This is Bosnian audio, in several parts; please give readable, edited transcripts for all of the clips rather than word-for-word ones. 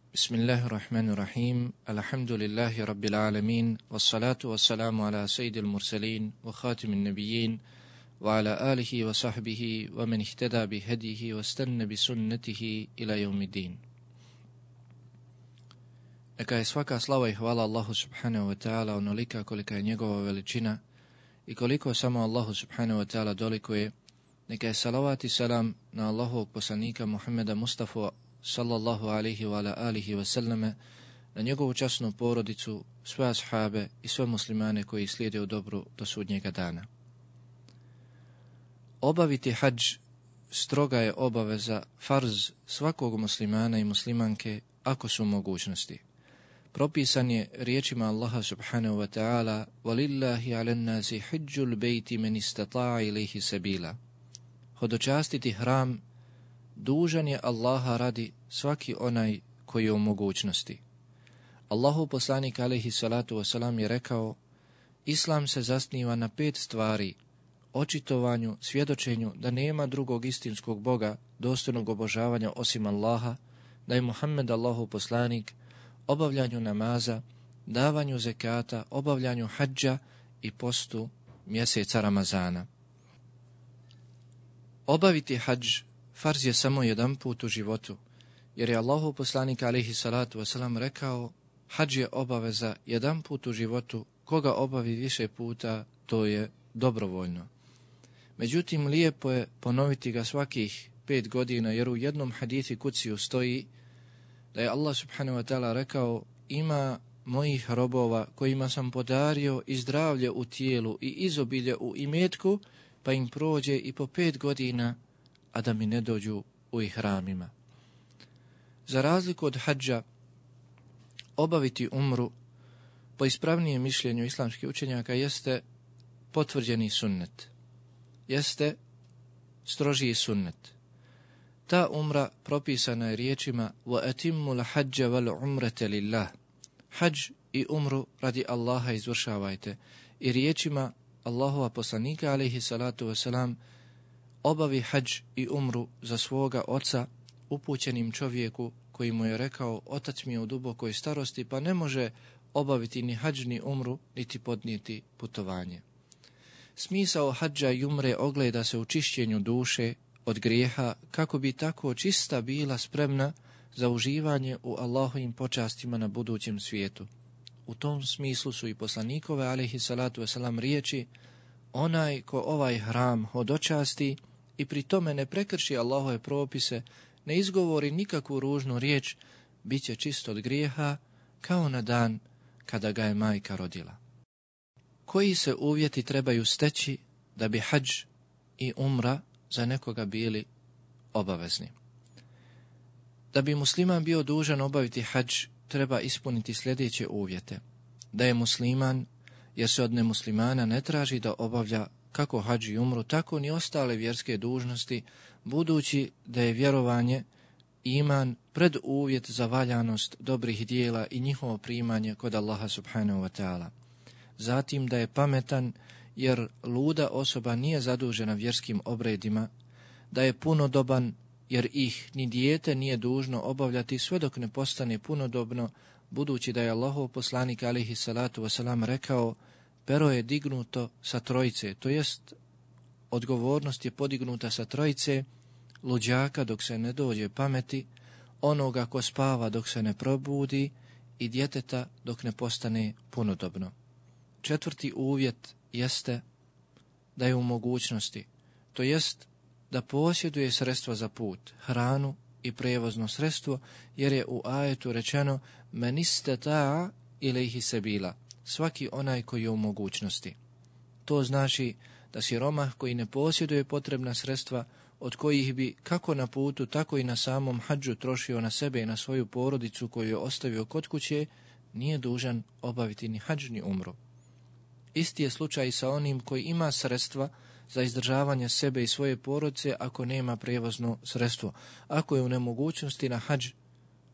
Bismillahirrahmanirrahim. Alhamdulillahi rabbil alamin. Wassalatu wassalamu ala sayyidil mursalin wa khatimin nabiyyin wa ala alihi wa sahbihi wa man ihtada bi hadihi wa istanna bi sunnatihi ila yawmiddin. Neka je svaka slava i hvala Allahu subhanahu wa ta'ala onolika kolika je njegova veličina i koliko samo Allahu subhanahu wa ta'ala dolikuje. Neka je salavat i salam na Allahovog poslanika Muhammeda Mustafa sallallahu alaihi wa ala alihi wa sallame, na njegovu časnu porodicu, sve ashabe i sve muslimane koji slijede u dobru do sudnjega dana. Obaviti hadž stroga je obaveza, farz svakog muslimana i muslimanke ako su mogućnosti. Propisan je riječima Allaha subhanahu wa ta'ala: وَلِلَّهِ عَلَى النَّاسِ حِجُّ الْبَيْتِ مَنِ اسْتَطَاعَ إِلَيْهِ سَبِيلًا. Hodočastiti hram dužan je Allaha radi svaki onaj koji je u mogućnosti. Allahov poslanik alejhi salatu wasalam je rekao: Islam se zasniva na 5 stvari: očitovanju, svjedočenju da nema drugog istinskog Boga dostojnog obožavanja osim Allaha, da je Muhammed Allahov poslanik, obavljanju namaza, davanju zekata, obavljanju hadža i postu mjeseca Ramazana. Obaviti hadž farz je samo jedan put u životu, jer je Allahov poslanik alejhi salatu wasalam rekao: hadž je obaveza jedan put u životu, koga obavi više puta, to je dobrovoljno. Međutim, lijepo je ponoviti ga svakih 5 godina, jer u jednom hadithi kuciju stoji da je Allah subhanahu wa ta'ala rekao: ima mojih robova kojima sam podario i zdravlje u tijelu i izobilje u imetku, pa im prođe i po 5 godina, a da mi ne dođu u ihramima. Za razliku od hadža, obaviti umru po ispravnijem mišljenju islamskih učenjaka jeste potvrđeni sunnet, jeste strožiji sunnet. Ta umra propisana je riječima: وَأَتِمُّ الْحَجَّ وَالْعُمْرَةَ لِلَّهِ. Hadž i umru radi Allaha izvršavajte. I riječima Allahova poslanika alejhi salatu wasalam: obavi hadž i umru za svoga oca, upućenim čovjeku koji mu je rekao: otac mi je u dubokoj starosti, pa ne može obaviti ni hadž ni umru, niti podnijeti putovanje. Smisao hadža i umre ogleda se u čišćenju duše od grijeha, kako bi tako čista bila spremna za uživanje u Allahovim počastima na budućem svijetu. U tom smislu su i poslanikove alejhi salatu wasalam riječi: onaj ko ovaj hram hodočasti i pri tome ne prekrši Allahove propise, ne izgovori nikakvu ružnu riječ, bit će čist od grijeha kao na dan kada ga je majka rodila. Koji se uvjeti trebaju steći da bi hadž i umra za nekoga bili obavezni? Da bi musliman bio dužan obaviti hadž, treba ispuniti sljedeće uvjete: da je musliman, jer se od nemuslimana ne traži da obavlja kako hadž i umru, tako ni ostale vjerske dužnosti, budući da je vjerovanje, iman, preduvjet za valjanost dobrih dijela i njihovo primanje kod Allaha subhanahu wa ta'ala. Zatim da je pametan, jer luda osoba nije zadužena vjerskim obredima, da je punodoban, jer ih ni dijete nije dužno obavljati sve dok ne postane punodobno, budući da je Allahov poslanik alejhi salatu wasalam rekao: pero je dignuto sa trojice, to jest odgovornost je podignuta sa trojice: luđaka dok se ne dođe pameti, onoga ko spava dok se ne probudi i djeteta dok ne postane punodobno. 4. uvjet jeste da je u mogućnosti, to jest da posjeduje sredstva za put, hranu i prevozno sredstvo, jer je u ajetu rečeno: men istata'a ilejhi sebila, svaki onaj koji je u mogućnosti. To znači da siromah koji ne posjeduje potrebna sredstva, od kojih bi kako na putu, tako i na samom hadžu trošio na sebe i na svoju porodicu koju je ostavio kod kuće, nije dužan obaviti ni hadž ni umru. Isti je slučaj i sa onim koji ima sredstva za izdržavanje sebe i svoje porodice ako nema prijevozno sredstvo, ako je u nemogućnosti na hadž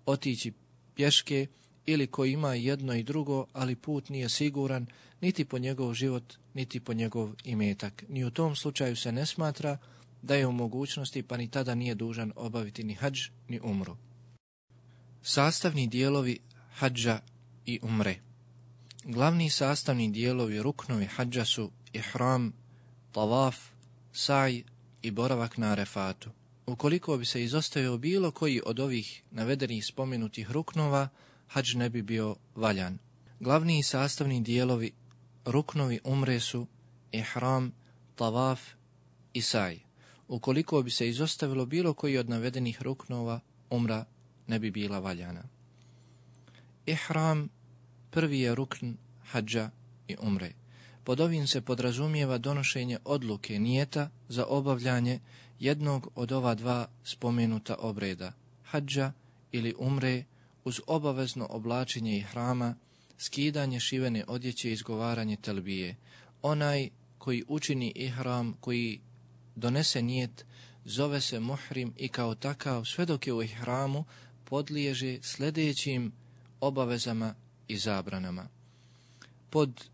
otići pješke, ili koji ima jedno i drugo, ali put nije siguran niti po njegov život, niti po njegov imetak. Ni u tom slučaju se ne smatra da je u mogućnosti, pa ni tada nije dužan obaviti ni hadž ni umru. Sastavni dijelovi hadža i umre. Glavni sastavni dijelovi ruknovi hadža su ihram, tavaf, saj i boravak na Arefatu. Ukoliko bi se izostavio bilo koji od ovih navedenih spomenutih ruknova, hadž ne bi bio valjan. Glavni sastavni dijelovi ruknovi umre su ihram, tavaf i saj. Ukoliko bi se izostavilo bilo koji od navedenih ruknova, umra ne bi bila valjana. Ihram prvi je rukn hadža i umre. Pod ovim se podrazumijeva donošenje odluke nijeta za obavljanje jednog od ova dva spomenuta obreda, hadža ili umre, uz obavezno oblačenje ihrama, skidanje šivene odjeće i izgovaranje telbije. Onaj koji učini ihram, koji donese nijet, zove se muhrim i kao takav, sve dok je u ihramu, podliježe sljedećim obavezama i zabranama. Pod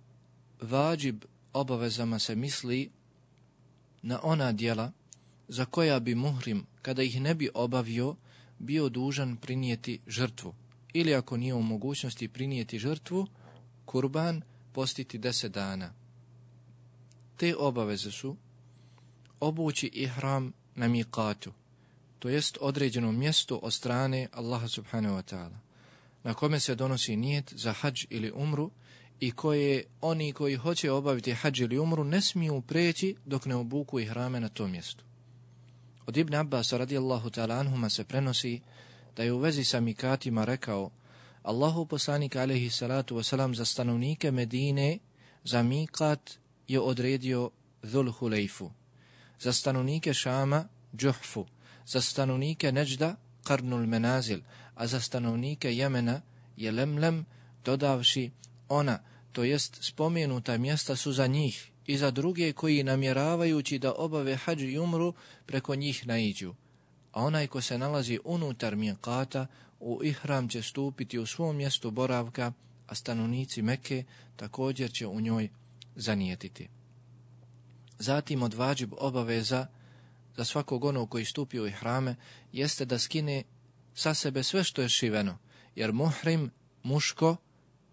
vađib obavezama se misli na ona djela za koja bi muhrim, kada ih ne bi obavio, bio dužan prinijeti žrtvu. Ili ako nije u mogućnosti prinijeti žrtvu, kurban, postiti 10 dana. Te obaveze su obući ihram na miqatu, to jest određeno mjesto od strane Allaha subhanahu wa ta'ala, na kome se donosi nijet za hadž ili umru i koje oni koji hoće obaviti hadž ili umru ne smiju preći dok ne obuku ihrame na tom mjestu. Od Ibn Abbas radijallahu ta'ala anhuma se prenosi da je u vezi sa mikatima rekao: Allahu poslanik alejhi salatu wasalam za stanovnike Medine za mikat je odredio Dhul Hulejfu, za stanovnike Šama Džuhfu, za stanovnike Neđda Qarnul Menazil, a za stanovnike Jemena je Lemlem, dodavši ona, to jest spomenuta mjesta su za njih i za druge koji namjeravajući da obave hadž i umru preko njih naiđu. A onaj ko se nalazi unutar miqata, u ihram će stupiti u svom mjestu boravka, a stanovnici Mekke također će u njoj zanijetiti. Zatim od vađib obaveza za svakog onog koji stupi u ihrame jeste da skine sa sebe sve što je šiveno, jer muhrim,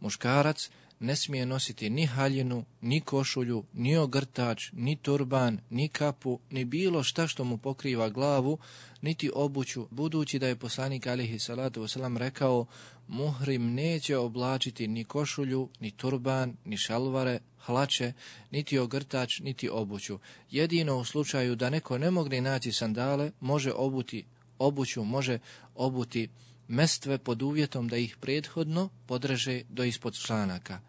muškarac, ne smije nositi ni haljinu, ni košulju, ni ogrtač, ni turban, ni kapu, ni bilo šta što mu pokriva glavu, niti obuću, budući da je poslanik alejhi salatu vesselam rekao: muhrim neće oblačiti ni košulju, ni turban, ni šalvare, hlače, niti ogrtač, niti obuću. Jedino u slučaju da neko ne mogne naći sandale, može obuti obuću, može obuti mestve pod uvjetom da ih prethodno podreže do ispod članaka.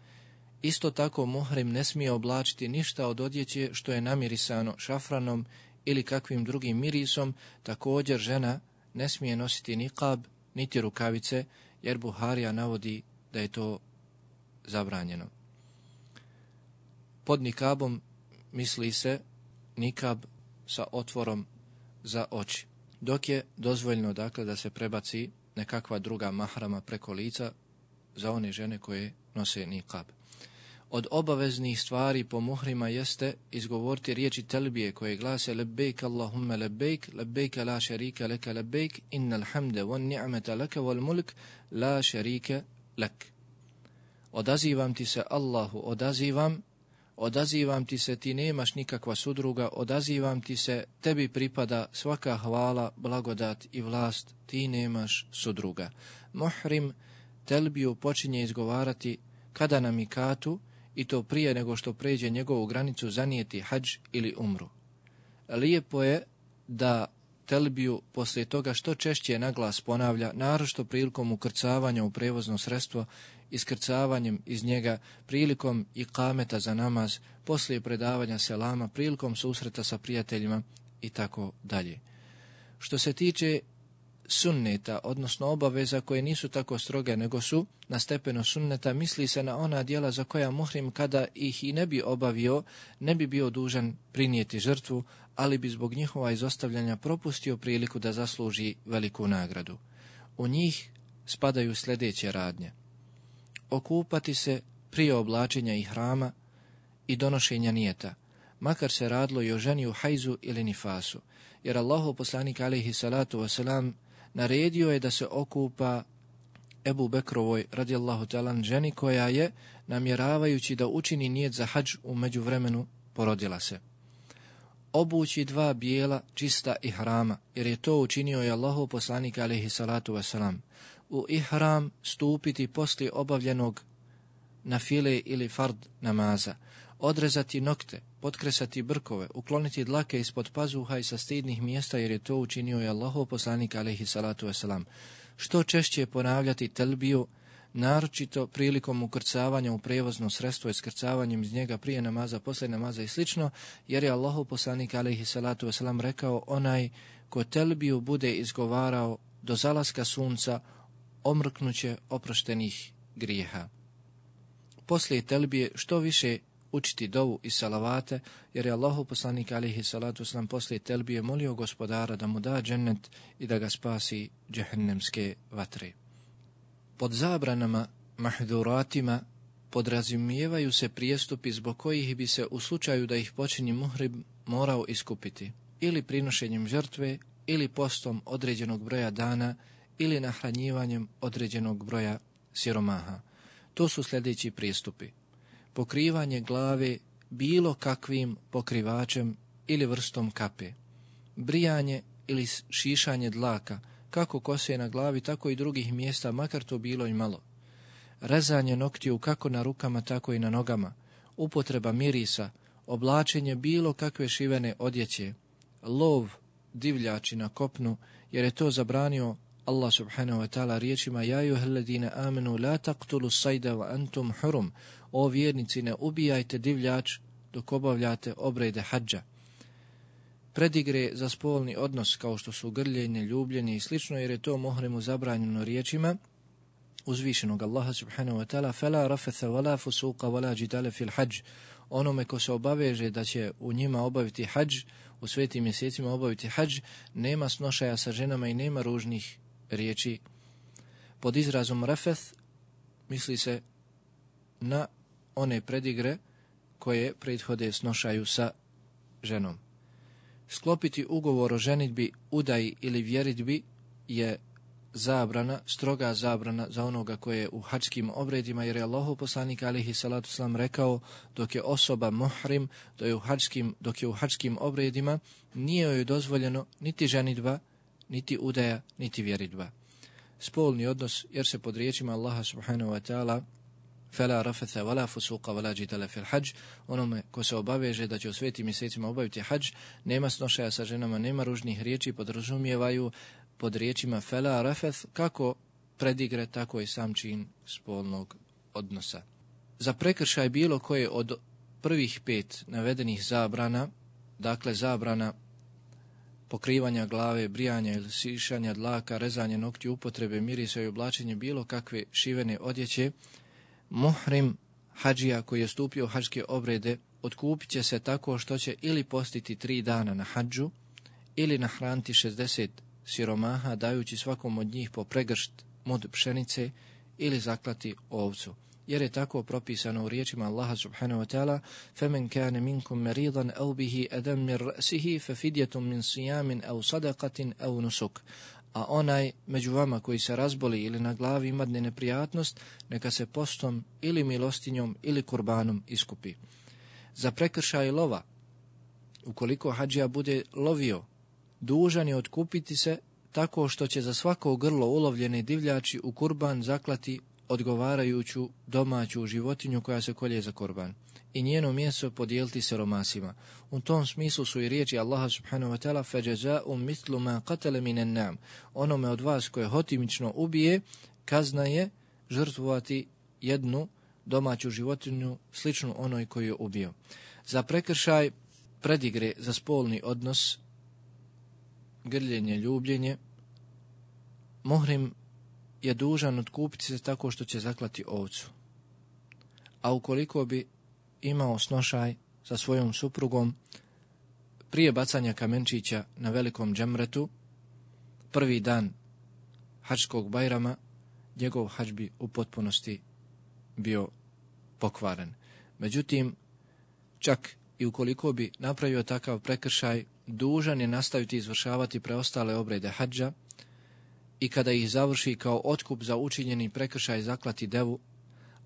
Isto tako muhrim ne smije oblačiti ništa od odjeće što je namirisano šafranom ili kakvim drugim mirisom. Također žena ne smije nositi niqab niti rukavice, jer Buharija navodi da je to zabranjeno. Pod nikabom misli se nikab sa otvorom za oči, dok je dozvoljeno dakle da se prebaci nekakva druga mahrama preko lica za one žene koje nose niqab. Od obaveznih stvari po muhrima jeste izgovoriti riječi telbije koje glase: lebejk Allahumma lebejk, lebejk la šarika leka lebejk, innal hamde wan ni'mata laka wal mulk la šarika lek. Odazivam ti se Allahu, odazivam ti se, ti nemaš nikakva sudruga, odazivam ti se, tebi pripada svaka hvala, blagodat i vlast, ti nemaš sudruga. Muhrim telbiju počinje izgovarati kada na mikatu, i to prije nego što pređe njegovu granicu zanijeti hadž ili umru. Lijepo je da telbiju poslije toga što češće naglas ponavlja, naročito prilikom ukrcavanja u prevozno sredstvo, iskrcavanjem iz njega, prilikom ikameta za namaz, poslije predavanja selama, prilikom susreta sa prijateljima i tako dalje. Što se tiče sunneta, odnosno obaveza koje nisu tako stroge nego su na stepenu sunneta, misli se na ona djela za koja muhrim kada ih i ne bi obavio, ne bi bio dužan prinijeti žrtvu, ali bi zbog njihova izostavljanja propustio priliku da zasluži veliku nagradu. U njih spadaju sljedeće radnje: okupati se prije oblačenja ihrama i donošenja nijeta, makar se radilo i o ženi u hajzu ili nifasu, jer Allahov poslanik alejhi salatu vesselam naredio je da se okupa Ebu Bekrovoj radijallahu ta'ala ženi koja je, namjeravajući da učini nijet za hadž, u međuvremenu porodila se. Obući 2 bijela čista ihrama, jer je to učinio i Allahov poslanik alejhi salatu vesselam. U ihram stupiti poslije obavljenog nafile ili fard namaza, odrezati nokte, potkresati brkove, ukloniti dlake ispod pazuha i sa stidnih mjesta, jer je to učinio i Allahov poslanik alejhi salatu vesselam. Što češće ponavljati telbiju, naročito prilikom ukrcavanja u prevozno sredstvo i skrcavanjem iz njega prije namaza, poslije namaza i slično, jer je Allahov poslanik alejhi salatu vesselam rekao: onaj ko telbiju bude izgovarao do zalaska sunca, omrknuće oproštenih grijeha. Poslije telbije što više učiti dovu i salavate, jer je Allahov poslanik alejhi salatu vesselam poslije telbije molio Gospodara da mu da džennet i da ga spasi džehennemske vatre. Pod zabranama, mahduratima, podrazumijevaju se prijestupi zbog kojih bi se u slučaju da ih počini muhrim morao iskupiti, ili prinošenjem žrtve, ili postom određenog broja dana, ili nahranjivanjem određenog broja siromaha. To su sljedeći prijestupi: pokrivanje glave bilo kakvim pokrivačem ili vrstom kape, brijanje ili šišanje dlaka, kako kose na glavi, tako i drugih mjesta, makar to bilo i malo, rezanje noktiju kako na rukama, tako i na nogama, upotreba mirisa, oblačenje bilo kakve šivene odjeće, lov divljači na kopnu, jer je to zabranio Allah subhanahu wa ta'ala riječima: ja eyyuhalladhina amanu la taqtulu sayda wa antum hurum. O vjernici, ne ubijajte divljač dok obavljate obrede hadža. Predigre za spolni odnos, kao što su grljenje, ljubljenje i slično, jer je to muhrimu zabranjeno riječima uzvišenog Allaha subhanahu wa ta'ala: fala rafatha wala fusuqa wala jidala fil hajj. Onome ko se obaveže da će u njima obaviti hadž, u svetim mjesecima obaviti hadž, nema snošaja sa ženama i nema ružnih riječi. Pod izrazom rafeth misli se na one predigre koje prethode snošaju sa ženom. Sklopiti ugovor o ženidbi, udaji ili vjeridbi je zabrana, stroga zabrana za onoga koje je u hadžskim obredima, jer je Allahov poslanik alejhi salatu vesselam rekao: dok je osoba muhrim, dok je u hadžskim obredima, nije joj dozvoljeno niti ženidba, niti udaja, niti vjeridba. Spolni odnos, jer se pod riječima Allaha subhanahu wa ta'ala fala rafatha wala fusuqa wala jidala fil hajj, onome ko se obaveže da će u svetim mjesecima obaviti hadž, nema snošaja sa ženama, nema ružnih riječi, podrazumijevaju pod riječima fala rafath kako predigre, tako i sam čin spolnog odnosa. Za prekršaj bilo koje od prvih 5 navedenih zabrana, dakle zabrana pokrivanja glave, brijanja ili sišanja dlaka, rezanje noktiju, upotrebe mirisa i oblačenje bilo kakve šivene odjeće, muhrim hadžija koji je stupio u hadžske obrede otkupit će se tako što će ili postiti 3 dana na hadžu, ili nahraniti 60 siromaha, dajući svakom od njih po pregršt mud pšenice, ili zaklati ovcu, jer je tako propisano u riječima Allaha subhanahu wa ta'ala: فَمَنْ كَانَ مِنْكُمْ مَرِيضًا أَوْ بِهِ أَذًى مِنْ رَأْسِهِ فَفِدْيَةٌ مِنْ صِيَامٍ أَوْ صَدَقَةٍ أَوْ نُسُكٍ. A onaj među vama koji se razboli ili na glavi imadne neprijatnost, neka se postom ili milostinjom ili kurbanom iskupi. Za prekršaj lova, ukoliko hadžija bude lovio, dužan je otkupiti se tako što će za svako grlo ulovljene divljači u kurban zaklati odgovarajuću domaću životinju koja se kolje za kurban i njeno meso podijeliti siromasima. U tom smislu su i riječi Allaha subhanahu wa ta'ala: فَجَزَاءٌ مِثْلُ مَا قَتَلَ مِنَ النَّعْمِ. Onome od vas koje hotimično ubije, kazna je žrtvovati jednu domaću životinju sličnu onoj koju je ubio. Za prekršaj predigre za spolni odnos, grljenje, ljubljenje, muhrim je dužan otkupiti se tako što će zaklati ovcu. A ukoliko bi imao snošaj sa svojom suprugom prije bacanja kamenčića na velikom džemretu, prvi dan hadžskog bajrama, njegov hadž bi u potpunosti bio pokvaren. Međutim, čak i ukoliko bi napravio takav prekršaj, dužan je nastaviti izvršavati preostale obrede hadža i kada ih završi kao otkup za učinjeni prekršaj zaklati devu,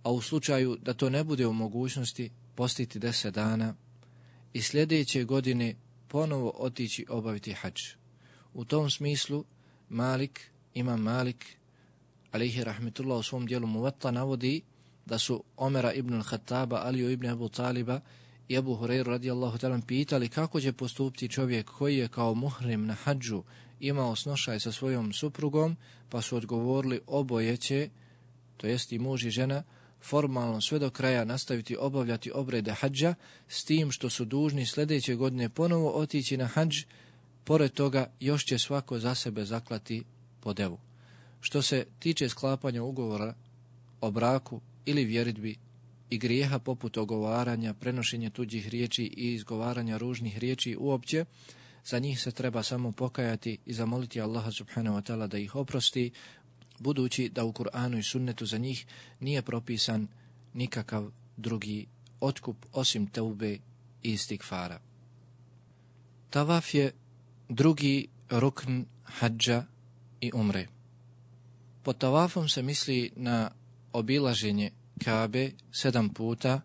a u slučaju da to ne bude u mogućnosti postiti 10 dana i sljedeće godine ponovo otići obaviti hadž. U tom smislu Imam Malik, alejhi rahmetullah, u svom dijelu Muvatta navodi da su Omera ibn al-Khattaba, Aliju ibn Abu Taliba i Abu Hurajru radijallahu ta'ala pitali kako će postupiti čovjek koji je kao muhrim na hadžu imao snošaj sa svojom suprugom, pa su odgovorili oboje će, to jest i muž i žena, formalno sve do kraja nastaviti obavljati obrede hadža, s tim što su dužni sljedeće godine ponovo otići na hadž, pored toga još će svako za sebe zaklati po devu. Što se tiče sklapanja ugovora o braku ili vjeridbi i grijeha poput ogovaranja, prenošenja tuđih riječi i izgovaranja ružnih riječi uopće, za njih se treba samo pokajati i zamoliti Allaha subhanahu wa ta'ala da ih oprosti, budući da u Kur'anu i sunnetu za njih nije propisan nikakav drugi otkup osim teube i istigfara. Tavaf je drugi rukn hadža i umre. Pod tavafom se misli na obilaženje Kabe 7 puta,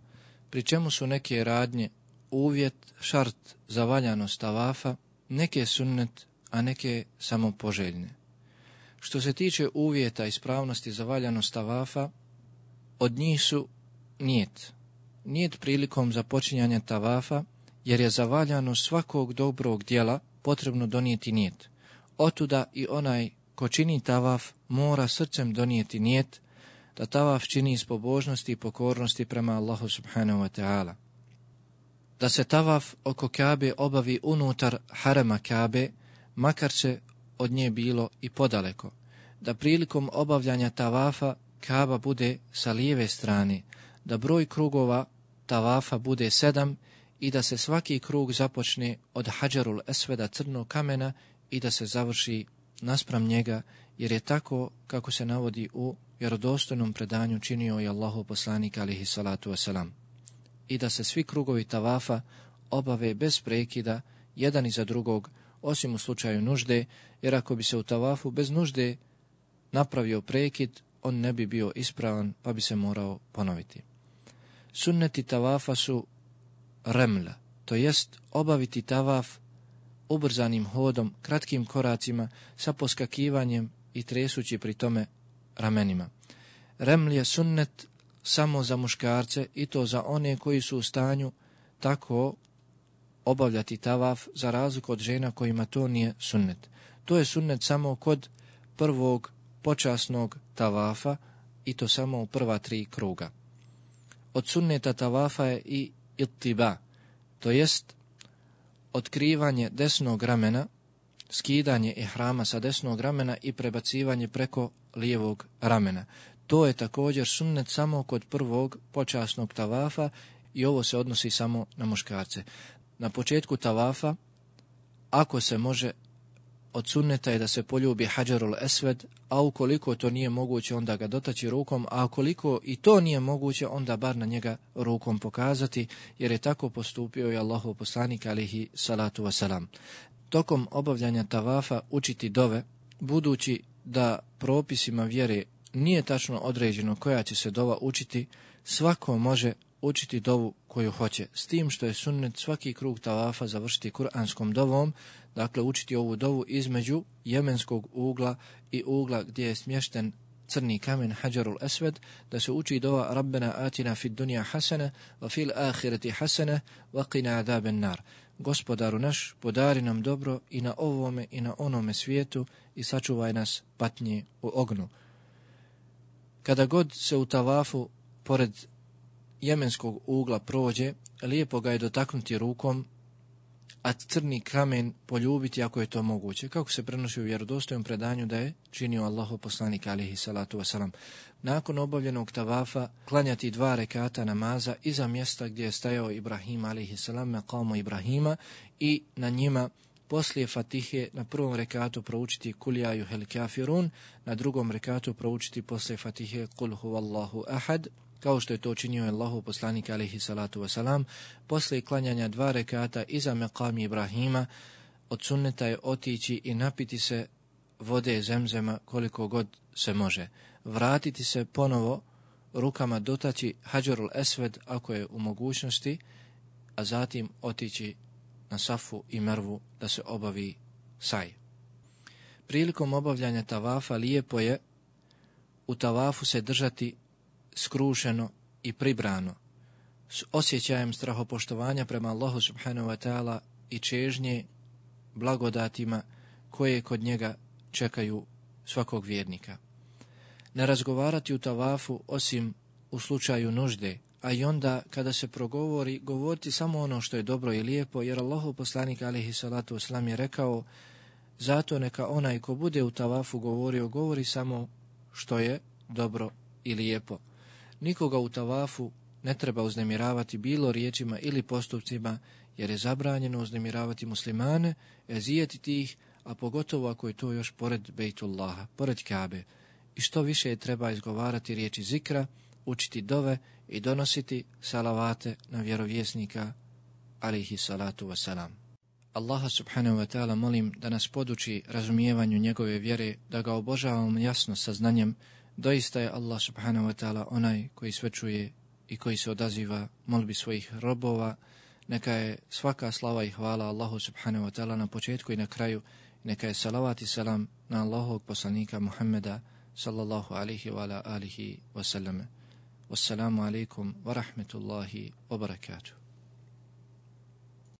pri čemu su neke radnje uvjet, šart za valjanost tavafa, neke sunnet, a neke samo poželjne. Što se tiče uvjeta ispravnosti za valjanost tavafa, od njih su nijet. Nijet prilikom započinjanja tavafa, jer je za valjanost svakog dobrog djela potrebno donijeti nijet. Otuda i onaj ko čini tavaf mora srcem donijeti nijet da tavaf čini iz pobožnosti i pokornosti prema Allahu subhanahu wa ta'ala. Da se tavaf oko Kabe obavi unutar harema Kabe, makar se od nje bilo i podaleko. Da prilikom obavljanja tavafa Kaba bude sa lijeve strane, da broj krugova tavafa bude 7 i da se svaki krug započne od Hadžarul Esveda, crnog kamena, i da se završi naspram njega, jer je tako kako se navodi u vjerodostojnom predanju činio i Allahov poslanik alejhi salatu vesselam. I da se svi krugovi tavafa obave bez prekida, jedan iza drugog, osim u slučaju nužde, jer ako bi se u tavafu bez nužde napravio prekid, on ne bi bio ispravan, pa bi se morao ponoviti. Sunneti tavafa su remla, to jest obaviti tavaf ubrzanim hodom, kratkim koracima, sa poskakivanjem i tresući pri tome ramenima. Reml je sunnet samo za muškarce i to za one koji su u stanju tako obavljati tavaf, za razliku od žena kojima to nije sunnet. To je sunnet samo kod prvog počasnog tavafa i to samo u prva 3 kruga. Od sunneta tavafa je i ittiba, to jest otkrivanje desnog ramena, skidanje ihrama sa desnog ramena i prebacivanje preko lijevog ramena. To je također sunnet samo kod prvog počasnog tavafa i ovo se odnosi samo na muškarce. Na početku tavafa, ako se može, od sunneta je da se poljubi Hadžarul Esved, a ukoliko to nije moguće, onda ga dotaći rukom, a ukoliko i to nije moguće, onda bar na njega rukom pokazati, jer je tako postupio i Allahov poslanik alejhi salatu vesselam. Tokom obavljanja tavafa učiti dove, budući da propisima vjere nije tačno određeno koja će se dova učiti, svako može učiti dovu koju hoće, s tim što je sunnet svaki krug tavafa završiti kuranskom dovom, dakle učiti ovu dovu između jemenskog ugla i ugla gdje je smješten crni kamen Hadžarul Esved, da se uči dova Rabbena atina fid dunja hasana, wa fil ahireti hasana, wa qina adaben nar. Gospodaru naš, podari nam dobro i na ovome i na onome svijetu i sačuvaj nas patnje u ognju. Kada god se u tavafu pored jemenskog ugla prođe, lijepo ga je dotaknuti rukom, a crni kamen poljubiti ako je to moguće, kako se prenosi u vjerodostojnom predanju da je činio Allahov poslanik alejhi salatu vesselam. Nakon obavljenog tavafa klanjati 2 rekata namaza iza mjesta gdje je stajao Ibrahim alejhi salam, maqamu Ibrahima, i na njima poslije Fatihe na prvom rekatu proučiti Kul ja ayyuhel kafirun, na drugom rekatu proučiti poslije Fatihe Kul huvallahu ahad, kao što je to činio Allahov poslanik alejhi salatu vesselam. Poslije klanjanja 2 rekata iza maqami Ibrahima od sunneta je otići i napiti se vode Zemzema koliko god se može. Vratiti se ponovo rukama dotaći Hadžarul Esved ako je u mogućnosti, a zatim otići na Safu i Mervu da se obavi saj. Prilikom obavljanja tavafa lijepo je u tavafu se držati skrušeno i pribrano, s osjećajem strahopoštovanja prema Allahu subhanahu wa ta'ala i čežnje blagodatima koje kod njega čekaju svakog vjernika. Ne razgovarati u tavafu osim u slučaju nužde, a i onda kada se progovori, govoriti samo ono što je dobro i lijepo, jer Allahov poslanik alejhi salatu vesselam je rekao: zato neka onaj ko bude u tavafu govorio, govori samo što je dobro i lijepo. Nikoga u tavafu ne treba uznemiravati bilo riječima ili postupcima, jer je zabranjeno uznemiravati muslimane, ezijetiti ih, a pogotovo ako je to još pored Bejtullaha, pored Kabe. I što više treba izgovarati riječi zikra, učiti dove i donositi salavate na vjerovjesnika alejhi salatu wasalam. Allaha subhanahu wa ta'ala molim da nas poduči razumijevanju njegove vjere, da ga obožavamo jasno sa znanjem. Doista je Allah subhanahu wa ta'ala onaj koji sve čuje i koji se odaziva molbi svojih robova. Neka je svaka slava i hvala Allahu subhanahu wa ta'ala na početku i na kraju. Neka je salavat i salam na Allahovog poslanika Muhammeda sallallahu alihi wa ala alihi wa sallam. Wassalamu alaikum wa rahmetullahi wa barakatuh.